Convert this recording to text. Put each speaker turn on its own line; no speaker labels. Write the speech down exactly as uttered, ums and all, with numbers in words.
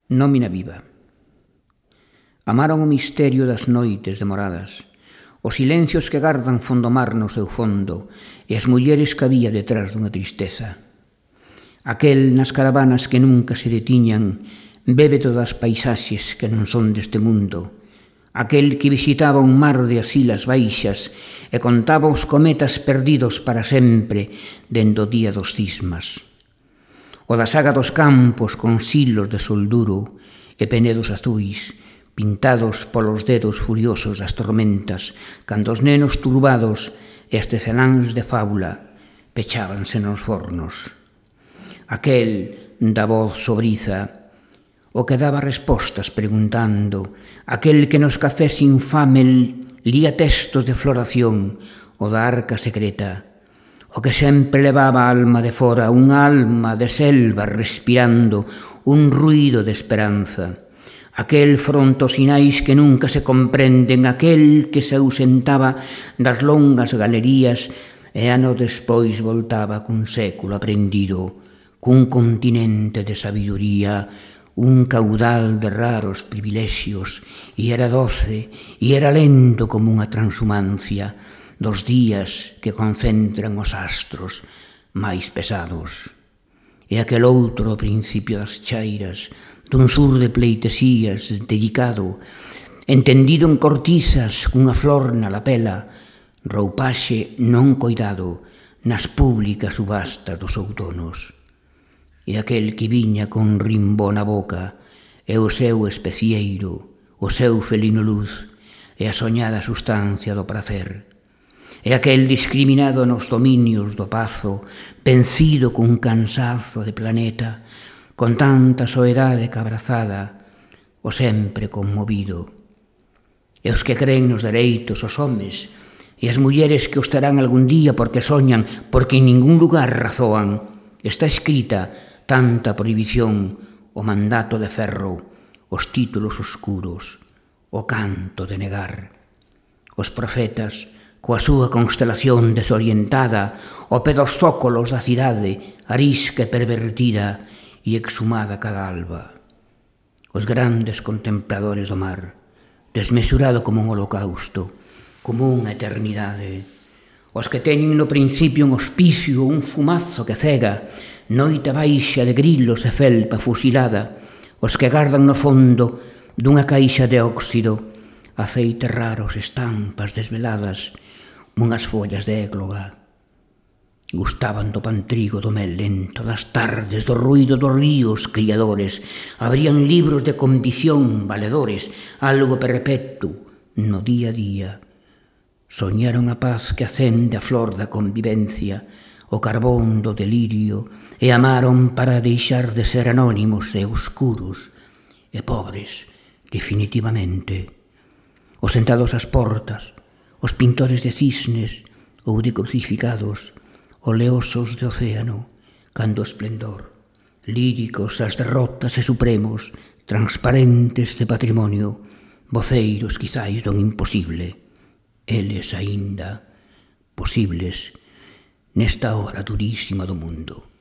Nómina viva. Amaron o misterio das noites demoradas, os silencios que gardan fondo mar no seu fondo e as mulleres que había detrás dunha tristeza. Aquel nas caravanas que nunca se detiñan bebe todas as paisaxes que non son deste mundo. Aquel que visitaba un mar de asilas baixas e contaba os cometas perdidos para sempre dende o día dos cismas. O da saga dos campos con silos de solduro e penedos azuis, pintados polos dedos furiosos das tormentas, cando os nenos turbados e as teceláns de fábula pechábanse nos fornos. Aquel da voz sobriza, o que daba respostas preguntando, aquel que nos cafés infame lía textos de floración, o da arca secreta, o que sempre levaba a alma de fora, unha alma de selva respirando un ruído de esperanza. Aquel fronte os sinais que nunca se comprenden, aquel que se ausentaba das longas galerías e ano despois voltaba cun século aprendido, cun continente de sabiduría, un caudal de raros privilexios, e era doce, e era lento como unha transhumancia dos días que concentran os astros máis pesados. E aquel outro ao principio das chairas, dun sur de pleitesías dedicado, entendido en cortizas cunha flor na lapela, roupaxe non coidado nas públicas subastas dos outonos. E aquel que viña con rimbo na boca, e o seu especieiro, o seu felino luz, e a soñada sustancia do prazer. E aquel discriminado nos dominios do pazo, vencido cun cansazo de planeta, con tanta soedade que abrazada, o sempre conmovido. E os que creen nos dereitos, os homes, e as mulleres que os terán algún día porque soñan, porque en ningún lugar razoan, está escrita tanta prohibición, o mandato de ferro, os títulos oscuros, o canto de negar. Os profetas, coa súa constelación desorientada, o pé dos zócolos da cidade, arisca e pervertida e exhumada cada alba. Os grandes contempladores do mar, desmesurado como un holocausto, como unha eternidade. Os que teñen no principio un hospicio, un fumazo que cega, noite baixa de grilos e felpa fusilada, os que gardan no fondo dunha caixa de óxido, aceites raros, estampas desveladas, unhas follas de égloga. Gustaban do pantrigo do mel lento, das tardes, do ruído dos ríos criadores, abrían libros de condición valedores, algo perpetuo no día a día. Soñaron a paz que acende a flor da convivencia, o carbón do delirio, e amaron para deixar de ser anónimos e oscuros e pobres, definitivamente. Os sentados ás portas, os pintores de cisnes ou de crucificados, oleosos de océano, cando o esplendor, líricos das derrotas e supremos, transparentes de patrimonio, voceiros quizáis don imposible, eles aínda posibles nesta hora durísima do mundo.